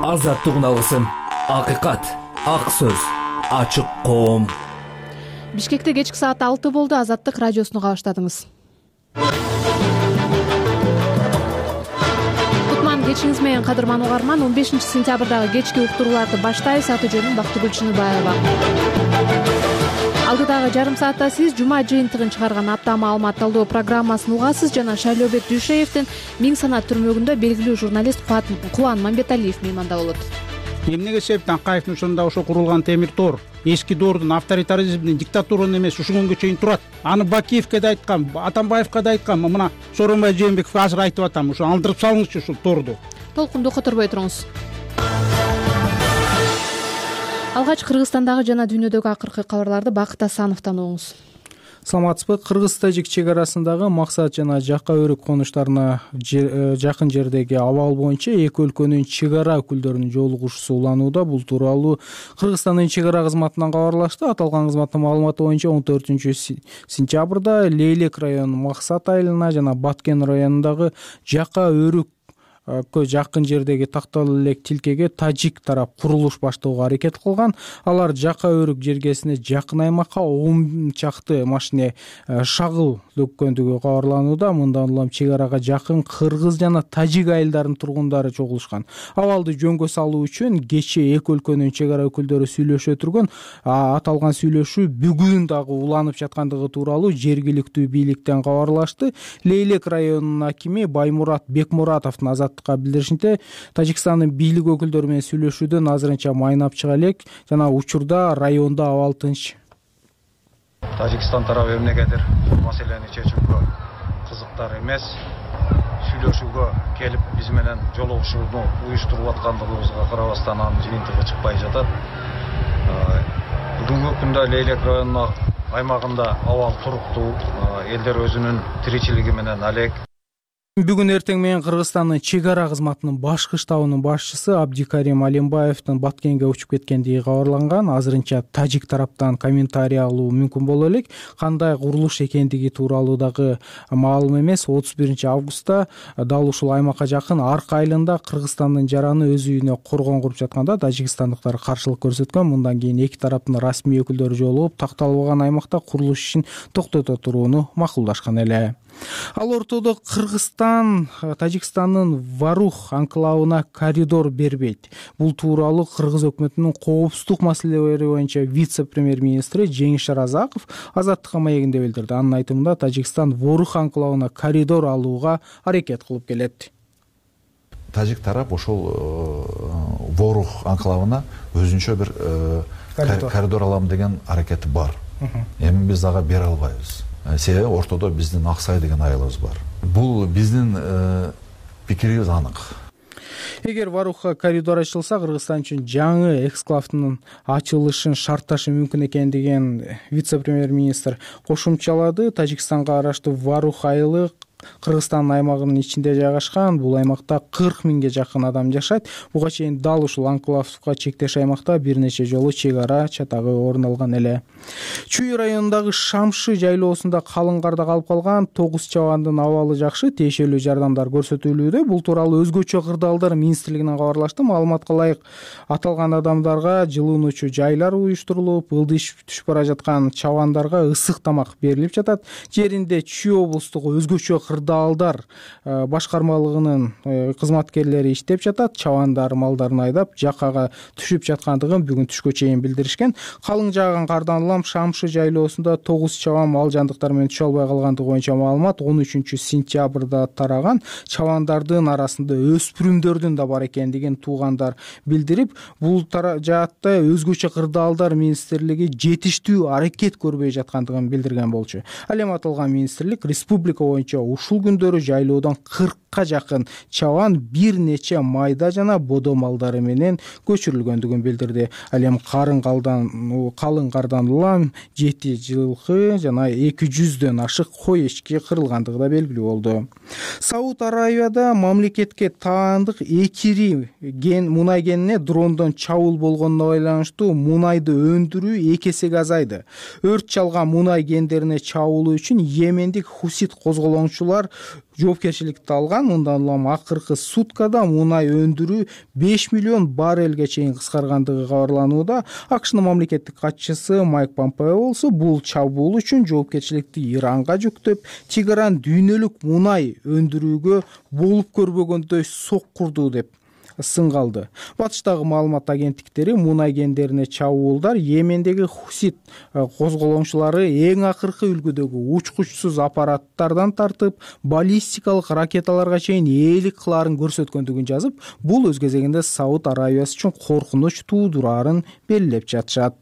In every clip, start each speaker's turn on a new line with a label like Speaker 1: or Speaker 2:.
Speaker 1: Азаттык алгысым, акыйкат, ак сөз, ачык коом.
Speaker 2: Бишкекте кечки саат 6 болду. Азаттык радиосуну кабаштадыңыз. Кутман кечиңиз менен кадырман угарман. 15 сентябрдагы кечки уктурууларды баштайбыз. Аты жөнүм Бактыгүл Чыныбаева. Алдыдагы жарым саатта сиз жума жыйынтыгын чыгарган апта маалымат талдоо программасын угасыз жана Шайлообек Дүйшеевдин Миң санат түрмөгүндө белгилүү журналист Кубан Мамбеталиев мейманда болот.
Speaker 3: Эмнеге себептен Акаевдин ошондо ошо курулган темир тоор эски доордун авторитаризмдин диктатуранын эмес ушул күнгө чейин турат. Аны Бакиевке да айткам, Атамбаевка да айткам, мына Сооронбай Жээнбеков азыр айтып атам, ушу алдырып салыңызчы ушул тоорду.
Speaker 2: Толкунду которбой туруңуз. Алгач Кыргызстандагы жана дүйнөдөгү акыркы кабарларды Бакыт Асановдон угуңуз.
Speaker 4: Саламатсызбы? Кыргыз-тажик чек арасындагы Максат жана Жака өрүк конуштарына жакын жердеги абал боюнча эки өлкөнүн чек ара өкүлдөрүнүн жолугушуусу уланууда. Бул тууралуу Кыргызстандын чек ара кызматынан кабарлашты. Аталган кызматтын маалыматы боюнча 14-сентябрда Лейлек районунун Максат айылына жана Баткен районундагы Жака өрүк жакын жердеги такталуу элек тилкеге тажик тарап курулуш баштоого аракет кылган. Алар Жака өрүк жергесине жакын аймакка 10 чакты машине шагыл төккөндүгү кабарланууда. Мындан улам чек арага жакын кыргыз жана тажик айылдарынын тургундары чогулушкан. Абалды жөнгө салуу үчүн кечээ эки өлкөнүн чек ара өкүлдөрү сүйлөшө турган. Аталган сүйлөшүү бүгүн дагы уланып жаткандыгы тууралуу жергиликтүү бийликтен кабарлашты. Лейлек районунун акими Баймурат Бекмуратовдун билдиришинче, Тажикстандын бийлик өкүлдөрү менен сүйлөшүүдөн азырынча майнап чыга элек жана учурда райондо абал тынч.
Speaker 5: Тажикстан тарабы эмнегедир маселени чечүүгө кызыктар эмес, сүйлөшүүгө келип биз менен жолугушууну уюштуруп аткандыгыбызга карабастан анын жыйынтыгы чыкпай жатат. Бүгүнкү күндө Лейлек районунун аймагында абал туруктуу, элдер өзүнүн тиричилиги менен алек.
Speaker 4: Бүгүн эртең менен Кыргызстандын чек ара кызматынын башкы штабынын башчысы Абдикарим Алимбаевдин Баткенге учуп кеткендиги кабарланган. Азырынча тажик тараптан комментарий алуу мүмкүн боло элек. Кандай курулуш экендиги тууралуу дагы маалым эмес. 31-августта дал ушул аймакка жакын Арк айылында Кыргызстандын жараны өз үйүнө коргон куруп жатканда тажикстандыктар каршылык көрсөткөн. Мындан кийин эки тараптын расмий өкүлдөрү жолугуп, такталбаган аймакта курулуш ишин токтото турууну макулдашкан эле. Ал ортодо Кыргызстан Тажикстандын Варух анклавына коридор бербейт. Бул тууралуу Кыргыз өкмөтүнүн коопсуздук маселелери боюнча вице-премьер-министри Жеңиш Шаразаков Азаттыкка маегинде билдирди. Анын айтымында Тажикстан Варух анклавына коридор алууга аракет кылып келет.
Speaker 6: Тажик тарап ошол Ворух анклавына өзүнчө бир коридор алам деген аракети бар. Эми биз ага бере албайбыз. Себеби ортодо биздин Аксай деген айылыбыз бар. Бул биздин пикирибиз анык.
Speaker 4: Эгер Варухка коридор ачылса, Кыргызстан үчүн жаңы эксклавдын ачылышын шартташы мүмкүн экендигин вице-премьер-министр кошумчалады. Тажикстанга караштуу Варух айылы Кыргызстандын аймагынын ичинде жайгашкан. Бул аймакта 40 миңге жакын адам жашайт. Буга чейин дал ушул анклавга чектеш аймакта бир нече жолу чек ара чатагы орун алган эле. Чүй районундагы Шамшы жайлоосунда калың карда калып калган 9 чабандын абалы жакшы, тиешелүү жардамдар көрсөтүлүүдө. Бул тууралуу өзгөчө кырдаалдар министрлигинен кабарлашты. Маалыматка ылайык аталган адамдарга жылынуучу жайлар уюштурулуп, ылдыш түшүп бара жаткан чабандарга ысык тамак берилип жатат. Жеринде Чүй облустук өзгөчө кырдаалдар башкармалыгынын кызматкерлери иштеп жатат. Чабандар малдарын айдап жакага түшүп жаткандыгын бүгүн түшкө чейин билдиришкен. Калың жааган кардан улам Шамшы жайлоосунда 9 чабан мал жандыктар менен түшө албай калгандыгы боюнча маалымат 13-сентябрда тараган. Чабандардын арасында өспүрүмдөрдүн да бар экендигин туугандар билдирип, бул жаатта өзгөчө кырдаалдар министрлиги жетиштүү аракет көрбөй жаткандыгын билдирген болчу. Ал эми аталган министрлик республика боюнча ушул күндөрү жайлоодон 40-ка жакын чабан бир нече майда жана бодо малдары менен көчүрүлгөндүгүн билдирди. Ал эми калың кардан улам 7 жылкы жана 200дөн ашык кой эчки кырылгандыгы да белгилүү болду. Сауд Арабияда мамлекетке таандык экири мунай кенине дрондон чабуул болгонуна байланыштуу мунайды өндүрүү 2 эсеге азайды. Өрт чалган мунай кендерине чабуул үчүн Йемендик хусит козголоңчулар жоопкерчиликти алган. Мындан улам акыркы суткада мунай өндүрүү 5 миллион баррелге чейин кыскаргандыгы кабарланууда. АКШнын мамлекеттик катчысы Майк Помпео болсо бул чабуул үчүн жоопкерчиликти Иранга жүктөп, Тегеран дүйнөлүк мунай өндүрүүгө болуп көрбөгөндөй соккурду деп сынга алды. Батыштагы маалымат агенттиктери мунай кендерине чабуулдар Йемендеги Хусит козголоңчулары эң акыркы үлгүдөгү учкучсуз аппараттардан тартып баллистикалык ракеталарга чейин ээлик кылаарын көрсөткөндүгүн жазып, бул өз кезегинде Сауд Арабиясы үчүн коркунуч туудураарын белгилеп жатышат.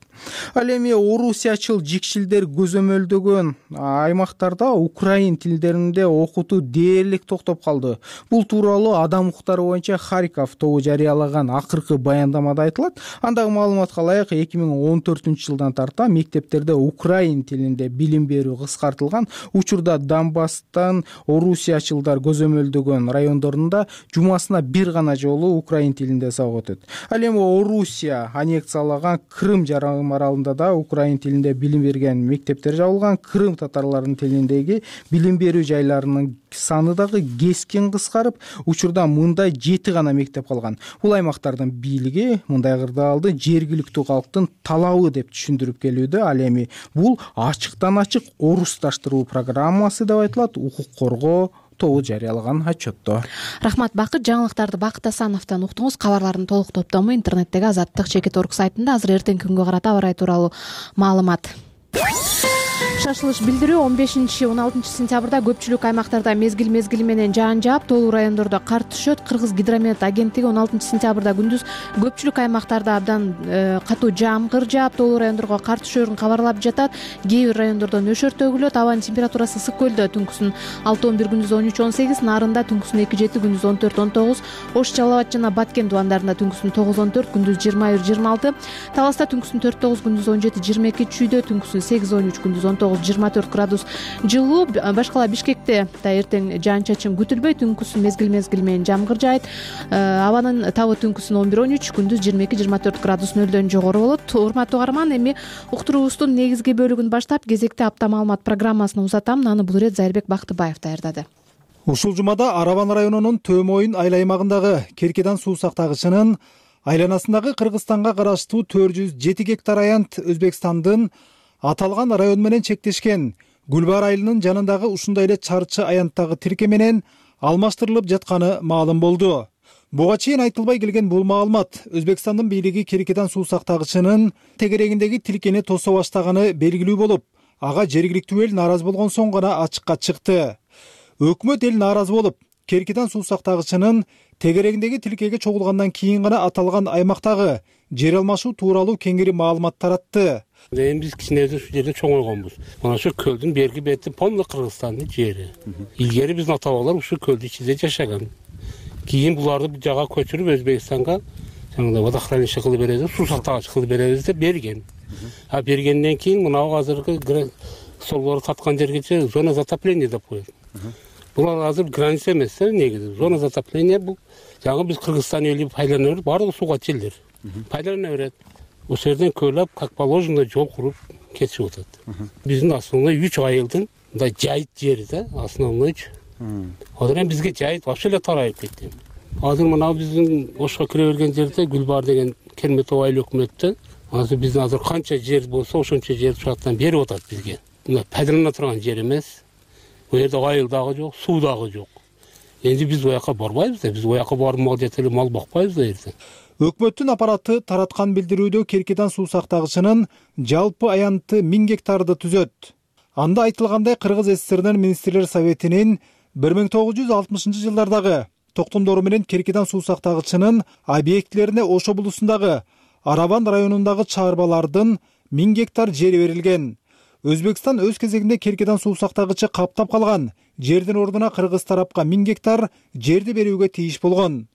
Speaker 4: Ал эми орусиячыл жикшилдер көзөмөлдөгөн аймактарда украин тилдеринде окутуу дээрлик токтоп калды. Бул тууралуу Адам укуктары боюнча Харьков тобу жарыялаган акыркы баяндамада айтылат. Андагы маалыматка ылайык 2014-жылдан тарта мектептерде украин тилинде билим берүү кыскартылган. Учурда Донбасстан орусиячылдар көзөмөлдөгөн райондорунда жумасына бир гана жолу украин тилинде сабак өтөт. Ал эми Орусия аннексиялаган Крым жарым аралында да украин тилинде билим берген мектептер жабылган. Крым татарларынын тилиндеги билим берүү жайларынын саны дагы кескин кыскарып, учурда мындай 7 гана мектеп калган. Бул аймактардын бийлиги мындай кырдаалды жергиликтүү калктын талабы деп түшүндүрүп келүүдө. Ал эми бул ачыктан ачык орусташтыруу программасы деп айтылат укук коргоо тобу жарыялаган отчетто.
Speaker 2: Рахмат Бакыт. Жаңылыктарды Бакыт Асановдон уктуңуз. Кабарлардын толук топтому интернеттеги Азаттык.org сайтында азыр эртеңки күнгө карата аба ырайы тууралуу маалымат. Шашылыш билдирүү 15-16 сентябрда көпчүлүк аймактарда мезгил менен жаан жаап, тоолуу райондордо кар түшөт. Кыргыз гидромет агенттиги 16 сентябрда күндүз көпчүлүк аймактарда абдан катуу жаамгыр жаап, тоолуу райондорго кар түшөөрүн кабарлап жатат. Кээ бир райондордо нөшөр төгүлөт. Абанын температурасы Ысык көлдө түнкүсүн 6-11, күндүз 13-18, Нарында түнкүсүн 2-7, күндүз 14-19, Ош, Жалал Абад жана Баткен дубандарында түнкүсүн 9-14, күндүз 21-26, Таласта түнкүсүн 4-9, күндүз 17-22, Чүйдө түнкүсүн 8-13, күндүз 19-24 градус жылуу. Башкала Бишкекте да эртең жаан-чачын күтүлбөйт. Түнкүсүн мезгил менен жамгыр жаайт. Абанын табы түнкүсүн 11-13, күндүз 22-24 градус нөлдөн жогору болот. Урматтуу угарман, эми уктуруубуздун негизги бөлүгүн баштап, кезекте апта маалымат программасын узатам. Аны бул ирет Зайырбек Бактыбаев даярдады.
Speaker 7: Ушул жумада Арабан районунун Төмөйүн айыл аймагындагы Керкедан суу сактагычынын айланасындагы Кыргызстанга караштуу 407 гектар аянт Өзбекстандын аталган район менен чектешкен Гүлбар айылынын жанындагы ушундай эле чарчы аянттагы тирке менен алмаштырылып жатканы маалым болду. Буга чейин айтылбай келген бул маалымат Өзбекстандын бийлиги Керкедан суу сактагычынын тегерегиндеги тилкени тосо баштаганы белгилүү болуп, ага жергиликтүү эл нааразы болгон соң гана ачыкка чыкты. Өкмөт эл нааразы болуп, Керкедан суу сактагычынын тегерегиндеги тилкеге чогулгандан кийин гана аталган аймактагы жер алмашуу тууралуу кеңири маалымат таратты.
Speaker 8: Эми биз кичинебиз ушул жерде чоңойгонбуз. Мына ошо көлдүн берги бети полный Кыргызстандын жери. Илгери биздин ата бабалар ушул көлдүн ичинде жашаган. Кийин буларды бу жага көчүрүп Өзбекстанга жаңында водохранилище кылып беребиз, суу сактагыч кылып беребиз деп берген. А бергенден кийин мынау азыркы солбору таткан жергече зона затопления деп коет. Бул азыр граница эмес, негизи. Зона затопления бул жаңы биз Кыргызстан эли пайдалана берип, баардыгы сууга чилдир. Пайдалана берет. Ошол жерден көйлөп, как положено жол куруп кетишип атат. Биздин основной 3 айылдын мындай жайыт жери да, основной. Азыр эми бизге жайыт вообще эле тарайып кетти. Азыр мына биздин Ошко кире берген жерде Гүлбар деген Керметов айыл өкмөттө азыр биздин азыр канча жер болсо ошончо жер шарттан берип атат бизге. Мына пайдалана турган жер эмес. Бу жерде айыл дагы жок, суу дагы жок. Энди биз ояка барбайбыз да, биз ояка барып мал жетелеп мал бакпайбыз да эртең.
Speaker 7: Өкмөттүн аппараты тараткан билдирүүдө Керкедан суу сактагычынын жалпы аянты 1000 гектарды түзөт. Анда айтылгандай Кыргыз СССРнын министрлер советинин 1960-жылдардагы токтомдору менен Керкедан суу сактагычынын объектилерине Ош облусундагы Арабан районундагы чаарбалардын 1000 гектар жери берилген. Өзбекстан өз кезегинде Керкедан суу сактагычы каптап калган жердин ордуна Кыргыз тарапка 1000 гектар жерди берүүгө тийиш болгон.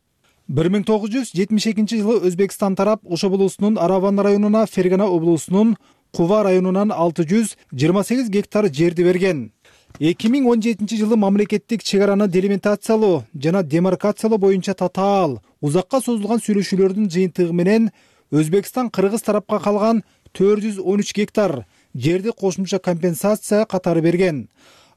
Speaker 7: 1972-жылы Өзбекстан тарап Ош облусунун Арабан районуна, Фергана облусунун Кува районунан 628 гектар жерди берген. 2017-жылы мамлекеттик чек араны делимитациялоо жана демаркациялоо боюнча татаал, узакка созулган сүйлөшүүлөрдүн жыйынтыгы менен Өзбекстан Кыргыз тарапка калган 413 гектар жерди кошумча компенсация катары берген.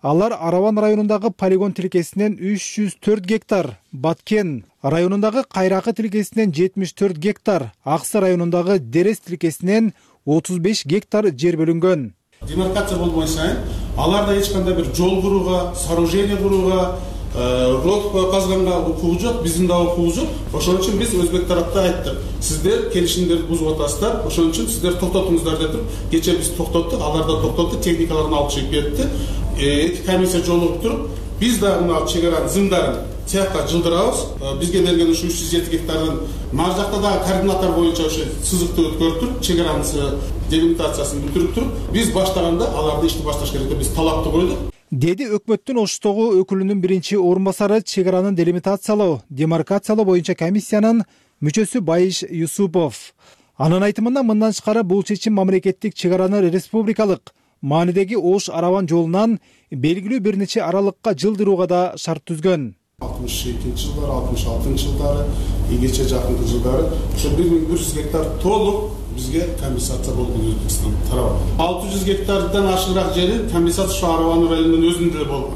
Speaker 7: Алар Арабан районундагы полигон тилкесинен 304 гектар, Баткен районундагы Кайракы тилкесинен 74 гектар, Аксы районундагы Дерес тилкесинен 35 гектар жер бөлүнгөн.
Speaker 9: Демаркация болбой сайын аларда эч кандай бир жол курууга, сооружение курууга, ров казганга укугу жок, биздин да укугу жок. Ошон үчүн биз өзбек тарапта айттык. Сиздер келишимдерди бузуп атасыздар. Ошон үчүн сиздер токтотуңуздар деп туруп, кечээ биз токтоттук, алар да токтотду, техникаларын алып чыгып берди. Эки комиссия жолугуп туруп, биз да мына чек аранын зымдарын цехка жылдырабыз. Бизге берген ушу 307 гектардын нары жакта дагы координаттар боюнча ушу сызыкты өткөрүп туруп, чек аранын делимитациясын бүтүрүп туруп, биз баштаганда аларды ишти башташ керек деп биз талапты койдук.
Speaker 7: Деди өкмөттүн Оштогу өкүлүнүн биринчи орун басары чек аранын делимитациялоо, демаркациялоо боюнча комиссиянын мүчөсү Байыш Юсупов. Анын айтымында мындан тышкары бул чечим мамлекеттик чек араны республикалык маанидеги Ош Арабан жолунан белгилүү бир нече аралыкка жылдырууга да шарт түзгөн.
Speaker 9: 62-жылдары, 66-жылдары, ийгече жакынкы жылдары ошо 1100 гектар толук бизге компенсация болгон Өзбекстан тарабы. 600 гектардан ашыгыраак жери компенсация ошо Арабан районунун өзүндө эле болгон.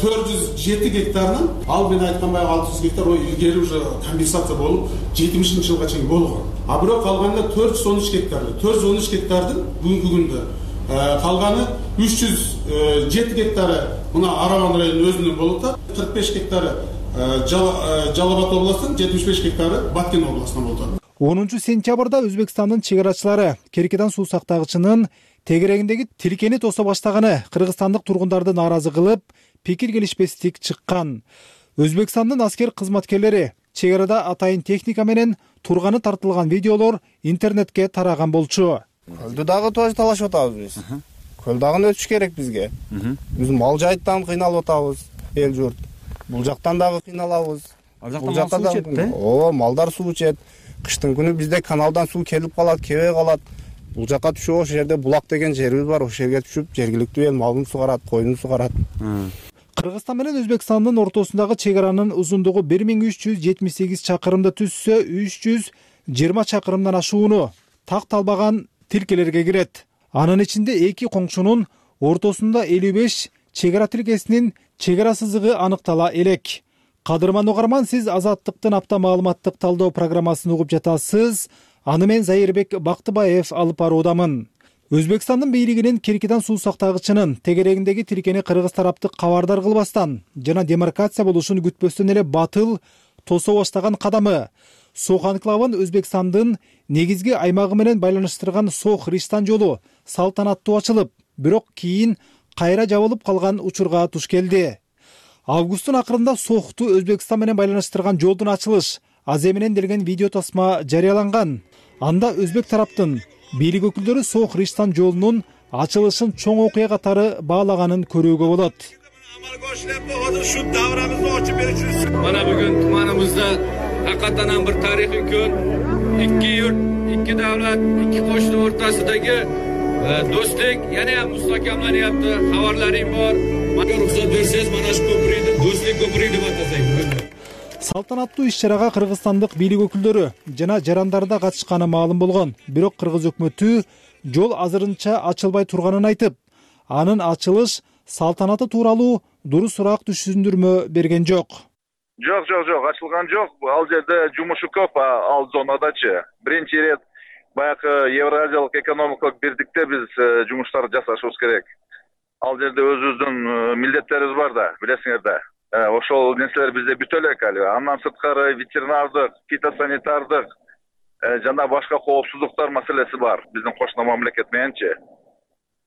Speaker 9: 407 гектардан ал мен айткан баягы 600 гектар илгери уже компенсация болуп 70-жылга чейин болгон. А бирок калганда 413 гектар. 413 гектардын бүгүнкү күндө калганы 307 гектары мына Арабан районунун өзүнөн болуп атат. 45 гектары Жалал-Абад областынан, 75 гектары Баткен областынан болуп атат.
Speaker 7: 10-сентябрда Өзбекстандын чек арачылары Керкедан суу сактагычынын тегерегиндеги тилкени тосо баштаганы кыргызстандык тургундарды нааразы кылып, пикир келишпестик чыккан. Өзбекстандын аскер кызматкерлери чек арада атайын техника менен турганы тартылган видеолор интернетке тараган болчу.
Speaker 10: Көлдү дагы тоже талашып атабыз биз. Көл дагы өтүш керек бизге. Биз мал жайыттан кыйналып атабыз, эл журт. Бул жактан дагы кыйналабыз. Бул жактан дагы малдар суу ичет. Кыштын күнү бизде каналдан суу келип калат, кебей калат. Бул жакка түшүп, ошол жерде булак деген жерибиз бар, ошол жерге түшүп, жергиликтүү эл малын сугарат, койдун сугарат.
Speaker 7: Кыргызстан менен Өзбекстандын ортосундагы чек аранын узундугу 1378 чакырымды түзсө, 320 чакырымдан ашууну такталбаган тилкелерге кирет. Анын ичинде эки коңшунун ортосунда 55 чек ара тилкесинин чек ара сызыгы аныктала элек. Кадырман угарман, сиз Азаттыктын апта маалыматтык талдоо программасын угуп жатасыз. Аны мен Зайырбек Бактыбаев алып баруудамын. Өзбекстандын бийлигинин Керкедан суу сактагычынын тегерегиндеги тилкени кыргыз тарапты кабардар кылбастан жана демаркация болушун күтпөстөн эле батыл тосо баштаган кадамы Сох анклавын Өзбекстандын негизги аймагы менен байланыштырган Сох-Риштан жолу салтанаттуу ачылып, бирок кийин кайра жабылып калган учурга туш келди. Августтун акырында Сохту Өзбекстан менен байланыштырган жолдун ачылыш азы менен делген видео тасма жарыяланган. Анда өзбек тараптын бийлик өкүлдөрү Сох-Риштан жолунун ачылышын чоң окуя катары баалаганын көрүүгө болот.
Speaker 11: Mana bugün tumanımızda hakikaten bir tarihi gün. İki yurt, iki devlet, iki koşulu ortasındaki dostluk yani müstakimlanyapti. Haberlerim var. Bana ruhsat verseniz mana şu köprüydü, dostluk köprüydü deb atasayım.
Speaker 7: Салтанаттуу иш-чарага кыргызстандык бийлик өкүлдөрү жана жарандары да катышканы маалым болгон. Бирок кыргыз өкмөтү жол азырынча ачылбай турганын айтып, анын ачылыш салтанаты тууралуу дурус сурак түшүндүрмө берген жок.
Speaker 12: Жок, ачылган жок. Ал жерде жумушу көп, ал зонадачы. Биринчи ирет баягы Евразиялык экономикалык бирдикте биз жумуштарды жасашыбыз керек. Ал жерде өзүбүздүн милдеттерибиз бар да, билесиңер да. Ошол нерселер бизде бүтө элек али. Андан сырткары ветеринардык, фитосанитардык жана башка коопсуздуктар маселеси бар биздин кошуна мамлекет мененчи.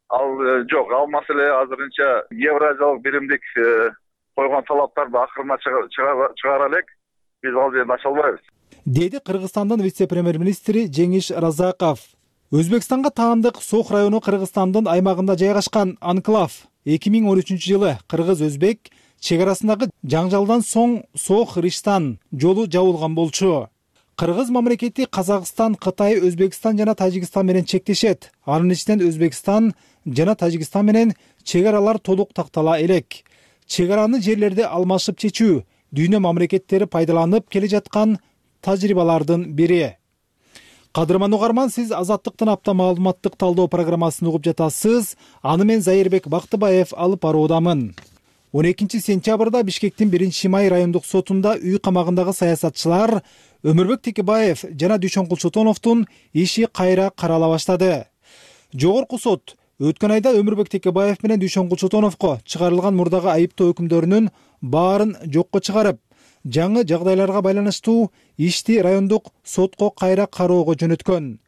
Speaker 12: Ал жок, ал маселе азырынча Евразиялык биримдик койгон талаптарды акырына чыгара элек. Биз ал жерде ача албайбыз.
Speaker 7: Деди Кыргызстандын вице-премьер-министри Жеңиш Разаков. Өзбекстанга таандык Сох району Кыргызстандын аймагында жайгашкан анклав 2013-жылы кыргыз-өзбек чек арасындагы жаңжалдан соң Сох-Риштан жолу жабылган болчу. Кыргыз мамлекети Казакстан, Кытай, Өзбекстан жана Тажикстан менен чектешет. Анын ичинен Өзбекстан жана Тажикстан менен чек аралар толук тактала элек. Чек араны жерлерди алмашып чечүү дүйнө мамлекеттери пайдаланып келе жаткан тажрыйбалардын бири. Кадырман угарман, сиз Азаттыктын апта маалыматтык талдоо программасын угуп жатасыз. Аны мен Зайырбек Бактыбаев алып баруудамын. 12 сентябрда Бишкектин 1-Май райондук сотунда үй камагындагы саясатчылар Өмүрбек Текебаев жана Дүйшөнкул Чотоновдун иши кайра карала баштады. Жогорку сот өткөн айда Өмүрбек Текебаев менен Дүйшөнкул Чотоновго чыгарылган мурдагы айыптоо өкүмдөрүнүн баарын жокко чыгарып, жаңы жагдайларга байланыштуу ишти райондук сотко кайра кароого жөнөткөн.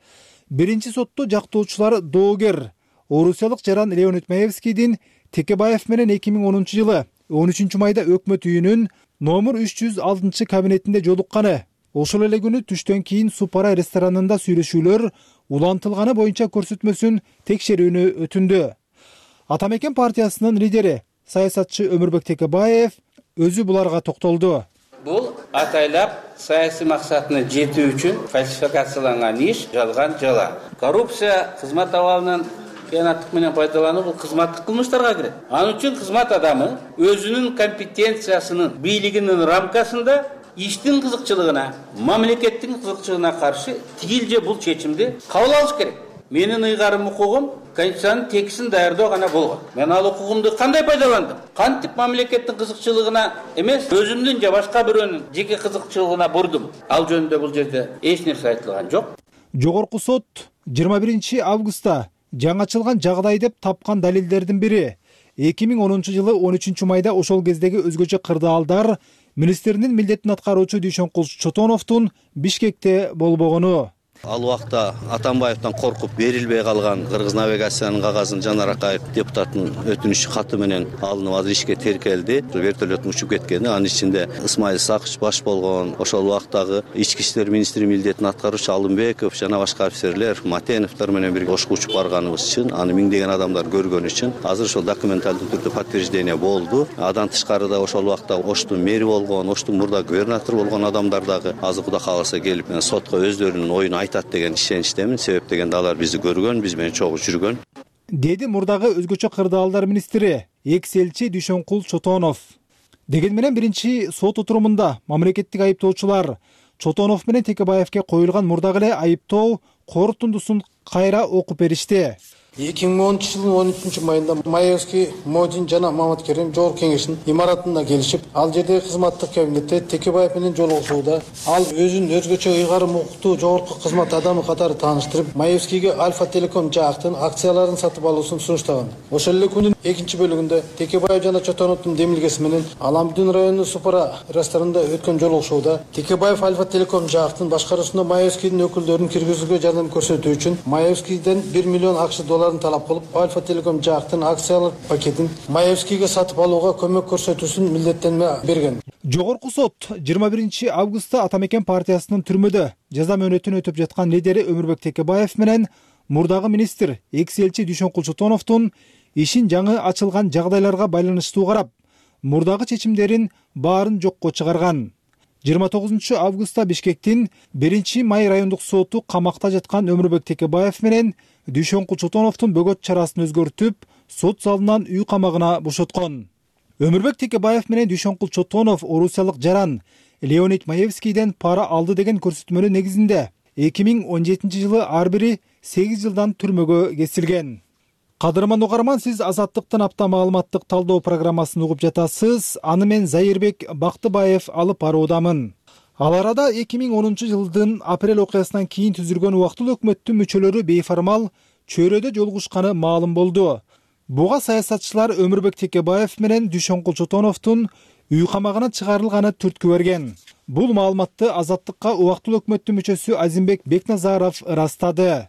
Speaker 7: Биринчи сотто жактоочулар доогер орусиялык жаран Леонид Маевскийдин Текебаев менен 2010-жылы 13 майда өкмөт үйүнүн номер 306 кабинетинде жолукканы, ошол эле күнү түштөн кийин Супара ресторанында сүйлөшүүлөр улантылганы боюнча көрсөтмөсүн текшерүүнү өтүндү. Атамекен партиясынын лидери саясатчы Өмүрбек Текебаев өзү буларга токтолду.
Speaker 13: Бул атайлап саясий максатына жетүү үчүн фальсификацияланган иш, жалган жала. Коррупция кызмат абалынын кыянаттык менен пайдалануу бул кызматтык кылмыштарга кирет. Ал үчүн кызмат адамы өзүнүн компетенциясынын, бийлигинин рамкасында иштин кызыкчылыгына, мамлекеттин кызыкчылыгына каршы тигил же бул чечимди кабыл алыш керек. Менин ыйгарым укугум Конституциянын текстин даярдоо гана болгон. Мен ал укугумду кандай пайдаландым? Кантип мамлекеттин кызыкчылыгына эмес, өзүмдүн же башка бирөөнүн жеке кызыкчылыгына бурдум? Ал жөнүндө бул жерде эч нерсе айтылган жок.
Speaker 7: Жогорку сот 21 августта жаңачылган жагдай деп тапкан далилдердин бири 2010-жылы 13 майда ошол кездеги өзгөчө кырдаалдар министринин милдетин аткаруучу Дүйшөнкул Чотоновдун Бишкекте болбогону.
Speaker 14: Ал убакта Атамбаевден коркуп берилбей калган Кыргыз навигациянын кагазын Жанар Акаев депутаттын өтүнүш каты менен алынып азыр ишке теркелди. Вертолеттун учуп кеткени, анын ичинде Исмаил Сакыч баш болгон, ошол убактагы ички иштер министри милдетин аткаруучу Алымбеков жана башка офицерлер Матеновдор менен бирге ошко учуп барганыбыз үчүн, аны миңдеген адамдар көргөн үчүн азыр ошол документалдуу түрдө подтверждение болду. Адан тышкары да ошол убакта Оштун мэри болгон, Оштун мурда губернатор болгон адамдар дагы азыр Кудай кааласа келип сотко өздөрүнүн оюн айтат деген ишеничтемин. Себеп дегенде алар бизди көргөн, биз менен чогуу жүргөн.
Speaker 7: Деди мурдагы өзгөчө кырдаалдар министри экс-элчи Дүйшөнкул Чотонов. Деген менен биринчи сот отурумунда мамлекеттик айыптоочулар Чотонов менен Текебаевке коюлган мурдагы эле айыптоо корутундусун кайра окуп беришти.
Speaker 15: 2010-жылдын 13 майында Маевский, Модин жана Маматкерим жогорку кеңештин имаратына келишип, ал жердеги кызматтык кабинетте Текебаев менен жолугушууда ал өзүн өзгөчө ыйгарым укуктуу жогорку кызмат адамы катары тааныштырып, Маевскийге Альфа Телеком жаактын акцияларын сатып алуусун сунуштаган. Ошол эле күнүн экинчи бөлүгүндө Текебаев жана Чотоновдун демилгеси менен Аламдин районунун Супара ресторанында өткөн жолугушууда Текебаев Альфа Телеком жаактын башкаруусуна Маевскийдин өкүлдөрүн киргизүүгө жардам көрсөтүү үчүн Маевскийден 1 миллион акш долларын талап кылып, Альфа Телеком жаактын акциялык пакетин Маевскийге сатып алууга көмөк көрсөтүүсүн милдеттенме берген.
Speaker 7: Жогорку сот 21 августта Атамекен партиясынын түрмөдө жаза мөөнөтүн өтүп жаткан лидери Өмүрбек Текебаев менен мурдагы министр экс-элчи Дүйшөнкул Чотоновдун ишин жаңы ачылган жагдайларга байланыштуу карап, мурдагы чечимдерин баарын жокко чыгарган. 29 августта Бишкектин 1-Май райондук соту камакта жаткан Өмүрбек Текебаев менен Дүйшөнкул Чотоновдун бөгөт чарасын өзгөртүп, сот залынан үй камагына бошоткон. Өмүрбек Текебаев менен Дүйшөнкул Чотонов орусиялык жаран Леонид Маевскийден пара алды деген көрсөтмөнүн негизинде 2017-жылы ар бири 8 жылдан түрмөгө кесилген. Кадырман угарман, сиз Азаттыктын апта маалыматтык талдоо программасын угуп жатасыз. Аны мен Зайырбек Бактыбаев алып баруудамын. Ал арада 2010-жылдын апрель окуясынан кийин түзүлгөн убактылуу өкмөттүн мүчөлөрү бейформал чөйрөдө жолугушканы маалым болду. Буга саясатчылар Өмүрбек Текебаев менен Дүйшөнкул Чотоновдун үй камагына чыгарылганы түрткү берген. Бул маалыматты Азаттыкка убактылуу өкмөттүн мүчөсү Азимбек Бекназаров ырастады.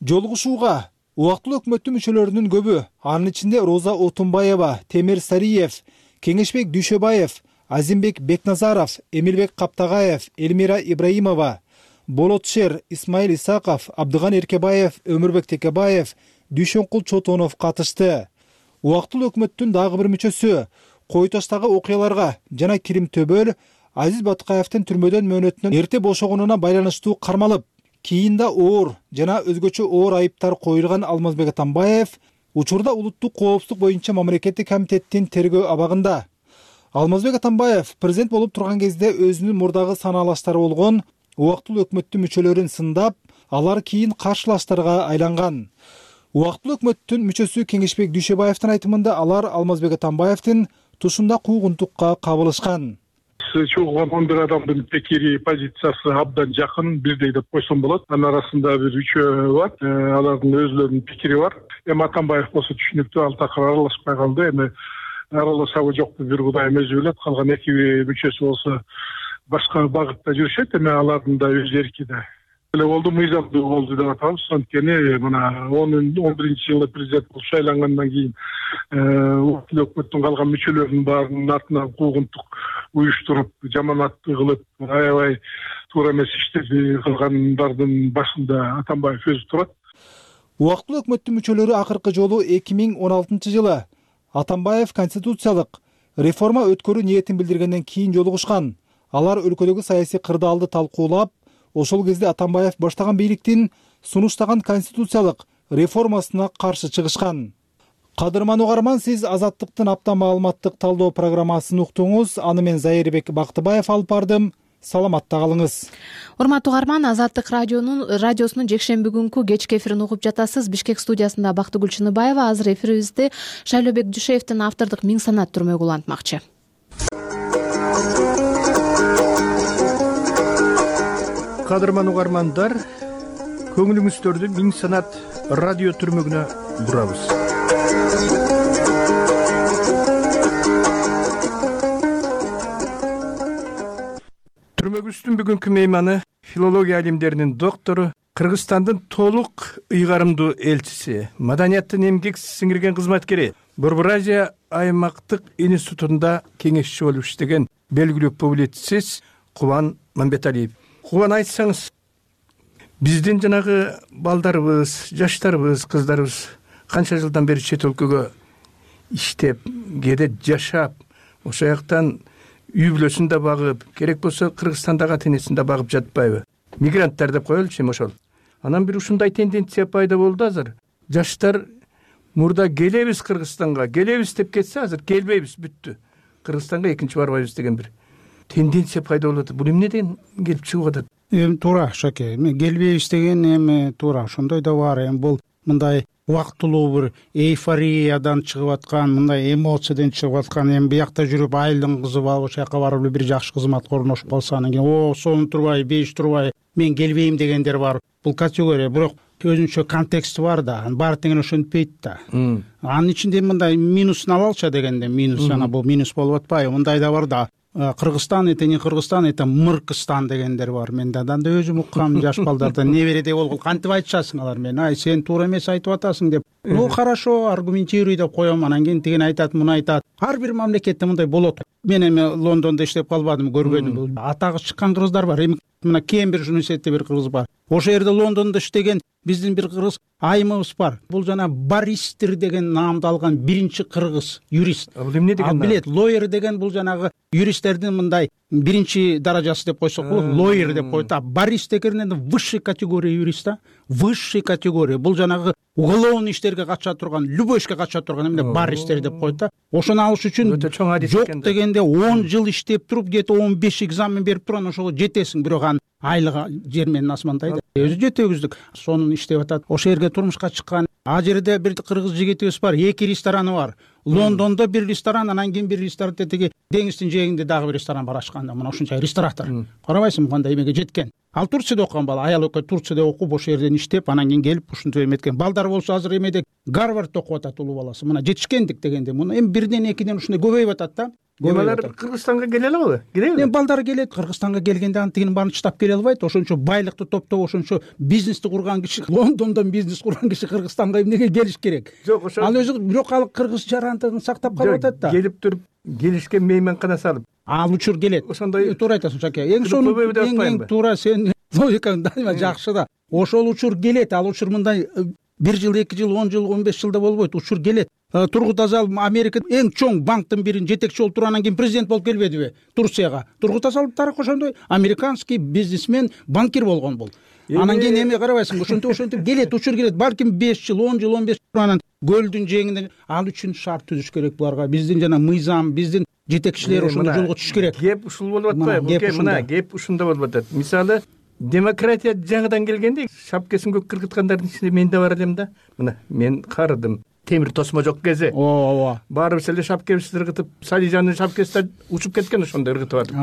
Speaker 7: Жолугушууга убактылуу өкмөттүн мүчөлөрүнүн көбү, анын ичинде Роза Отунбаева, Темир Сариев, Кеңешбек Дүйшөбаев, Азимбек Бекназаров, Эмилбек Каптагаев, Элмира Ибраимова, Болотшер, Исмаил Исаков, Абдыган Эркебаев, Өмүрбек Текебаев, Дүйшөнкул Чотонов катышты. Убактылуу өкмөттүн дагы бир мүчөсү Кой Таштагы окуяларга жана Кирим Төбөл Азиз Баткаевдин түрмөдөн мөөнөтүнөн эрте бошогонуна байланыштуу кармалып, кийинде оор жана өзгөчө оор айыптар коюлган Алмазбек Атамбаев учурда улуттук коопсуздук боюнча мамлекеттик комитеттин тергөө абагында. Алмазбек Атамбаев президент болуп турган кезде өзүнүн мурдагы санаалаштары болгон убактылуу өкмөттүн мүчөлөрүн сындап, алар кийин каршылаштарга айланган. Убактылуу өкмөттүн мүчөсү Кеңешбек Дүйшөбаевдин айтымында алар Алмазбек Атамбаевдин тушунда куугунтукка кабылышкан.
Speaker 16: Чогулган 11 адамдын пикири, позициясы абдан жакын, бирдей деп койсом болот. Анын арасында бир үчөө бар. Алардын өзлөрүнүн пикири бар. Эми Атамбаев болсо түшүнүктүү, ал такыр аралашпай калды. Эми аралашабы жокпу бир Кудайым өзү билет. Калган эки мүчөсү болсо башка багытта жүрүшөт. Эми алардын да өз эрки да. Эле болду, мыйзамдуу болду деп атабыз. Анткени мына 11-жылы президент болуп шайлангандан кийин убактылуу өкмөттүн калган мүчөлөрүнүн баарынын артынан куугунтук уюштуруп, жаманаттуу кылып, аябай туура эмес иштерди кылгандардын башында Атамбаев өзү турат.
Speaker 7: Убактылуу өкмөттүн мүчөлөрү акыркы жолу 2016-жылы Атамбаев конституциялык реформа өткөрүү ниетин билдиргенден кийин жолугушкан. Алар өлкөдөгү саясий кырдаалды талкуулап, ошол кезде Атамбаев баштаган бийликтин сунуштаган конституциялык реформасына каршы чыгышкан. Кадырман угарман, сиз Азаттыктын апта маалыматтык талдоо программасын уктуңуз. Аны мен Зайырбек Бактыбаев алып бардым. Саламатта калыңыз.
Speaker 2: Урматтуу угарман, Азаттык радиосунун жекшемби күнкү кечки эфирин угуп жатасыз. Бишкек студиясында Бактыгүл Чыныбаева. Азыр эфирибизди Шайлообек Дүйшөевдин автордук Миң санат түрмөгү улантмакчы.
Speaker 17: Кадырман угармандар, көңүлүңүздөрдү Миң санат радио түрмөгүнө бурабыз. Түрмөгүбүздүн бүгүнкү мейманы филология алимдеринин доктору, Кыргызстандын толук ыйгарымдуу элчиси, маданияттын эмгек сиңирген кызматкери, Борбор Азия аймактык институтунда кеңешчи болуп иштеген белгилүү публицист Кубан Мамбеталиев. Кубан, айтсаңыз, биздин жанагы балдарыбыз, жаштарыбыз, кыздарыбыз канча жылдан бери чет өлкөгө иштеп, кээде жашап, ошол жактан үй бүлөсүн да багып, керек болсо Кыргызстандагы ата-энесин да багып жатпайбы? Мигранттар деп коелучу эми ошол. Анан бир ушундай тенденция пайда болду азыр. Жаштар мурда келебиз Кыргызстанга, келебиз деп кетсе, азыр келбейбиз, бүттү. Кыргызстанга экинчи барбайбыз деген бир тенденция пайда болот. Бул эмнеден келип чыгып атат?
Speaker 3: Эми туура, Шаке. Эми келбейбиз деген эми туура, ошондой да бар. Эми бул мындай убактылуу бир эйфориядан чыгып аткан, мындай эмоциядан чыгып аткан. Эми биякта жүрүп айылдын кызы балып, ошол жака барып бир жакшы кызмат орношуп калса, анан кийин сонун турбай, беш турбай, мен келбейм дегендер бар. Бул категория, бирок өзүнчө контексти бар да, баары тең ошентпейт да. Анын ичинде мындай минусун алалыча дегенде, минус, ана бул минус болуп атпайбы? Мындай да бар да. Кыргызстан, это не Кыргызстан, это Мыркыстан дегендер бар. Мен да өзүм уккам, жаш балдардан небереде болгул кантип айтышасың алар мен? Ай, сен туура эмес айтып атасың деп. Ну, хорошо, аргументируй деп коем, анан кийин тиген айтат, муну айтат. Ар бир мамлекетте мындай болот. Мен эми Лондондо иштеп калбадым, көрбөдүм. Атагы чыккан кыргыздар бар. Эми мына Кембридж университетте бир кыргыз бар. Ошол жерде Лондондо иштеген биздин бир кыргыз айымыбыз бар. Бул жана баристер деген наамды алган биринчи кыргыз юрист.
Speaker 17: Бул эмне деген?
Speaker 3: Билет, лойер деген бул жанагы юристтердин мындай биринчи даражасы деп койсок болот, лойер деп коет. А барист деген высший категория юрист да, высший категория. Бул жанагы уголовный иштерге кача турган, любой ишке кача турган эмне баристер деп коет да. Ошону алыш үчүн жок дегенде 10 жыл иштеп туруп, где-то 15 экзамен берип турган, ошого жетесиң, бирок анын айлыгы жер менен асмандай да. Өзү жетегиздик, сонун иштеп атат. Ошол жерге турмушка чыккан. А жерде бир кыргыз жигитибиз бар, 2 рестораны бар. Лондондо бир ресторан, анан кийин бир ресторанте тиги деңиздин жээгинде дагы бир ресторан бар ачкан. Мына ушунча ресторатор. Карабайсыңбы кандай эмеге жеткен? Ал Турцияда окуган бала, аял экөө Турцияда окуп, ошол жерден иштеп, анан кийин келип ушинтип эметкен. Балдар болсо азыр эмеде Гарвардда окуп атат улуу баласы. Мына жетишкендик дегенде, муну эми бирден экиден ушундай көбөйүп атат да.
Speaker 17: Алар Кыргызстанга келе алабы? Келеби?
Speaker 3: Эми балдар келет, Кыргызстанга келгенде антигин баарын чыдап келе албайт. Ошончо байлыкты топтоп, ошончо бизнести курган киши, Лондондон бизнес курган киши Кыргызстанга эмнеге келиш керек?
Speaker 17: Жок, ошо.
Speaker 3: Ал өзү бирок ал кыргыз жарандыгын сактап калып атат да.
Speaker 17: Келип туруп, келишкен мейманкана салып.
Speaker 3: Ал учур келет.
Speaker 17: Ошондой
Speaker 3: туура айтасың, Шаке. Эң туура, сен логикаң дайыма жакшы да. Ошол учур келет, ал учур мындай 1 жыл, 2 жыл, 10 жыл, 15 жылда болбойт. Учур келет. Тургут Азал Америкада эң чоң банктын бирин жетекчи болуп туруп, анан кийин президент болуп келбедиби Турцияга? Тургут Азал тарых ошондой американский бизнесмен, банкир болгон бул. Анан кийин эме карабайсың, ошентип келет, учур келет. Балким 5 жыл, 10 жыл, 15 жыл, анан көлдүн жээгинде ал үчүн шарт түзүш керек буларга. Биздин жана мыйзам, биздин жетекчилер ошондой жолго түшүш керек.
Speaker 17: Кеп ушул болуп атпайбы? Мына кеп ушунда болуп атат. Мисалы, демократия жаңыдан келгенде шапкесин көккө кыргыткандардын ичинде мен да бар элем да. Мына мен карыдым. Темир тосмо жок кезде.
Speaker 3: Ооба.
Speaker 17: Баарыбыз эле шапкебизди ыргытып, Салижандын шапкеси учуп кеткен ошондо ыргытып атып.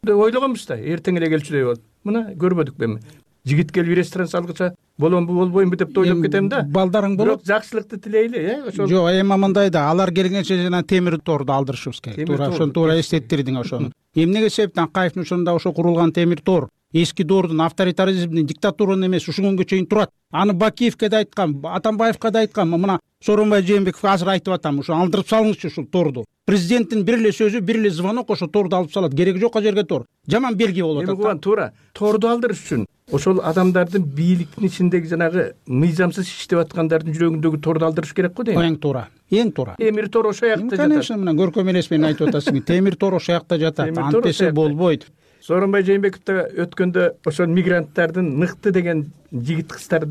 Speaker 17: Ойлогонбуз да, эртең эле келчүдөй болот. Мына көрбөдүкпү эми. Жигит келип ресторан салгыча боломбу болбоймбу деп да ойлоп кетем да.
Speaker 3: Балдарың болот.
Speaker 17: Бирок жакшылыкты тилейли, ошол.
Speaker 3: Жок, эми мындай да, алар келгенче жана темир торду алдырышыбыз керек. Туура ошону туура эстеттирдиң ошону. Эмнеге себептен Акаевдин ошондо ошо курулган темир тор эски доордун авторитаризмдин, диктатуранын эмес ушул күнгө чейин турат. Аны Бакиевке да айткам, Атамбаевка да айткам, мына Сооронбай Жээнбековго азыр айтып атам, ошо алдырып салыңызчы ушул торду. Президенттин бир эле сөзү, бир эле звонок ошо торду алып салат. Кереги жок жерге тор. Жаман белги болуп атат.
Speaker 17: Эми куган туура. Торду алдырыш үчүн ошол адамдардын бийликтин ичиндеги жанагы мыйзамсыз иштеп аткандардын жүрөгүндөгү торду алдырыш керек го дейм.
Speaker 3: Эң туура. Эң туура.
Speaker 17: Темир тор ошо жакта жатат.
Speaker 3: Конечно, мына көркөм элес менен айтып атасың. Темир тор ошо жакта жатат. Антесе болбойт.
Speaker 17: Сооронбай Жээнбеков да өткөндө ошол мигранттардын мыкты деген жигит кыздар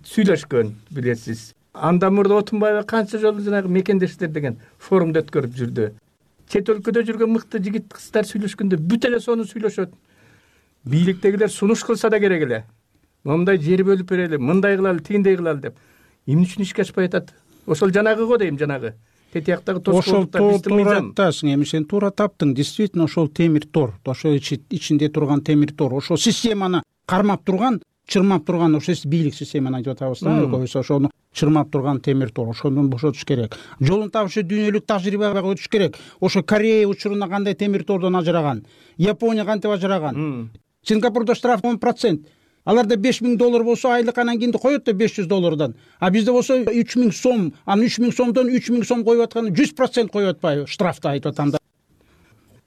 Speaker 17: сүйлөшкөн, билесиз. Андан мурда Отунбаева канча жолу жанагы мекендештер деген форумду өткөрүп жүрдү. Чет өлкөдө жүргөн мыкты жигит кыздар сүйлөшкөндө бүт эле сону сүйлөшөт. Бийликтегилер сунуш кылса да керек эле. Момундай жер бөлүп берели, мындай кылалы, тигиндей кылалы деп. Эмне үчүн ишке ашпай атат? Ошол жанагы го дейм, жанагы. Тетияктагы тоскоолдуктар биздин мыйзам.
Speaker 3: Айтасың, эми сен туура таптың. Действительно ошол темир тор, ошол ичинде турган темир тор, ошол системаны кармап турган, чырмап турган, ошо бийлик системаны айтып атабыз да. Көбүнчө ошону чырмап турган темир тор, ошондон бошотуш керек. Жолун табышы дүйнөлүк тажрыйбага өтүш керек. Ошо Корея учурунда кандай темир тордон ажыраган, Япония кантип ажыраган. Сингапурда штраф 10%. Аларда $5,000 болсо айлык анан кийин коет да $500. А бизде болсо 3,000 сом, анан 3,000 сомдон 3,000 сом коюп атканы 100% коюп атпайбы штрафты айтып атам да.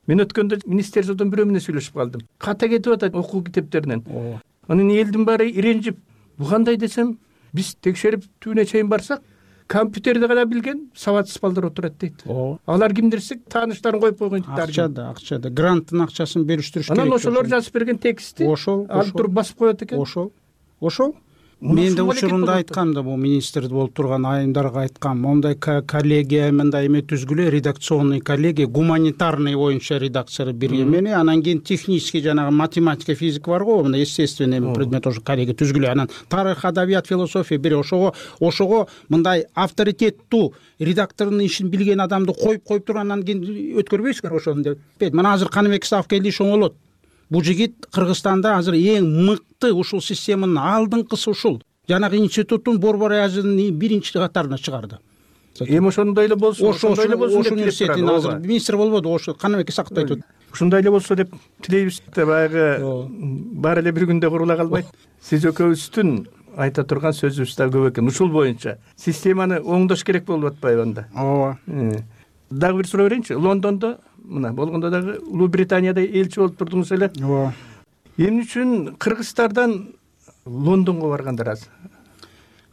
Speaker 17: Мен өткөндө министерстводон бирөө менен сүйлөшүп калдым. Ката кетип атат окуу китептеринен. Анын элдин баары иренжип, бу кандай десем, биз текшерип түбүнө чейин барсак, компьютерди гана билген сабатсыз балдар отурат дейт. Алар кимдирсек, тааныштарын коюп койгон дейт.
Speaker 3: Акчада, гранттын акчасын бериштириш керек.
Speaker 17: Анан ошолор жазып берген текстти алып туруп басып коет экен.
Speaker 3: Ошол. Мен да учурунда айткам да, бул министр болуп турган айымдарга айткам, мондай коллегия мындай эме түзгүлө, редакционный коллегия, гуманитарный боюнча редакция бир эмени, анан кийин технический жанагы математика, физика бар го, мына естественный предмет ошо коллегия түзгүлө, анан тарых, адабият, философия бир ошого мындай авторитеттүү редактордун ишин билген адамды коюп туруп анан кийин өткөрбөйсүңөр ошону деп. Мына азыр Каныбек Исаков келди, шоңолот. Бул жигит Кыргызстанда азыр эң мыкты ушул системанын алдыңкысы ушул. Жанагы институттун борбор ажынын биринчи катарына чыгарды.
Speaker 17: Эми ошондой эле болсун,
Speaker 3: ошондой эле болсун. Ошол университеттин азыр министр болбоду, ошо Каныбек Исаковду айтып атат.
Speaker 17: Ушундай эле болсо деп тилейбиз. Баягы баары эле бир күндө курула калбайт. Сиз экөөбүздүн айта турган сөзүбүз да көп экен. Ушул боюнча системаны оңдош керек болуп атпайбы анда?
Speaker 3: Ооба.
Speaker 17: Дагы бир суроо берейинчи. Лондондо мына болгондо дагы Улуу Британияда элчи болуп турдуңуз эле.
Speaker 3: Ооба.
Speaker 17: Эмне үчүн Кыргызстандан Лондонго баргандар аз?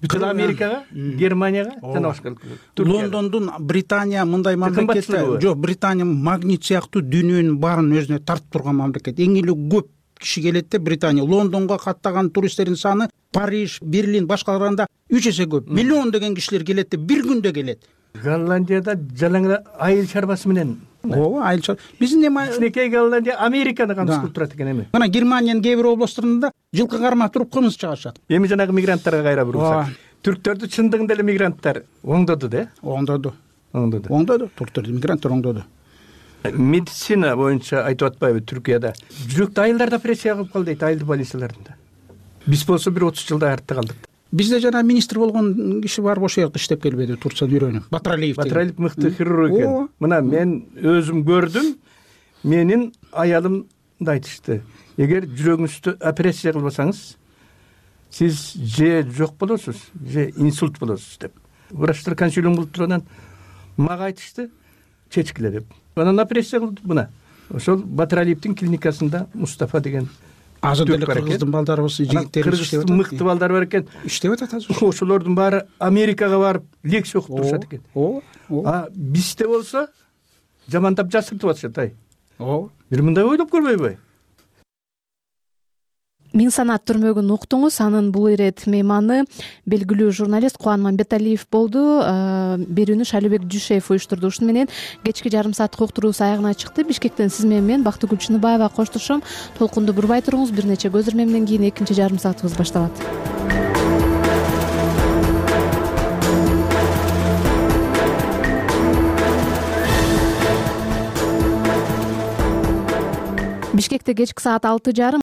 Speaker 17: Бүт Америкага, Германияга жана башка
Speaker 3: Лондондун Британия мындай мамлекет жок, Британия магнит сыяктуу дүйнөнүн баарын өзүнө тартып турган мамлекет. Эң эле көп киши келет да Британия. Лондонго каттаган туристтердин саны Париж, Берлин башкаларында 3 эсе көп. Миллион деген кишилер келет да бир күндө келет.
Speaker 17: Голландияда жалаң айыл чарбасы менен.
Speaker 3: Ооба, айыл чарба. Биздин эми
Speaker 17: кичинекей Голландия Американы камсыз кылып турат экен эми.
Speaker 3: Мына Германиянын кээ бир областарында жылкы кармап туруп кымыз чыгарышат.
Speaker 17: Эми жанагы мигранттарга кайра бурулсак. Түрктөрдү чындыгында эле мигранттар оңдоду да?
Speaker 3: Оңдоду. Түрктөрдү мигранттар оңдоду.
Speaker 17: Медицина боюнча айтып атпайбы Түркияда? Жүрөктү айылдарда операция кылып кал дейт, айыл больницаларында. Биз болсо бир 30 жылда артта калдык.
Speaker 3: Бизде жана министр болгон киши бар, ошол жакта иштеп келбеди, Турцияда үйрөнүп.
Speaker 17: Батралиев мыкты хирург экен. Мына мен өзүм көрдүм. Менин аялымды айтышты. Эгер жүрөгүңүздү операция кылбасаңыз, сиз же жок болосуз, же инсульт болосуз деп. Врачтар консилиум кылып тургандан мага айтышты, чечкиле деп. Анан операция кылдым мына. Ошол Батралиевдин клиникасында Мустафа деген
Speaker 3: азыр деле кыргыздын балдарыбыз, жигиттери иштеп атат.
Speaker 17: Мыкты балдар бар экен.
Speaker 3: Иштеп атат азыр.
Speaker 17: Ошолордун баары Америкага барып лекция окуп турушат экен. А бизде болсо жамандап жасыртып атышат ай.
Speaker 3: Ооба.
Speaker 17: Бир мындай ойлоп көрбөйбү?
Speaker 2: Миң санат түрмөгүн уктуңуз. Анын бул ирет мейманы белгилүү журналист Кубан Мамбеталиев болду. Берүүнү Шалибек Жушеев уюштурду. Ушуну менен кечки жарым сааттык уктуруубуз аягына чыкты. Бишкектен сиз менен мен Бактыгүл Чыныбаева коштошом. Толкунду бурбай туруңуз. Бир нече көз ирмемден кийин экинчи жарым саатыбыз башталат. Бишкекте кечки саат 6:30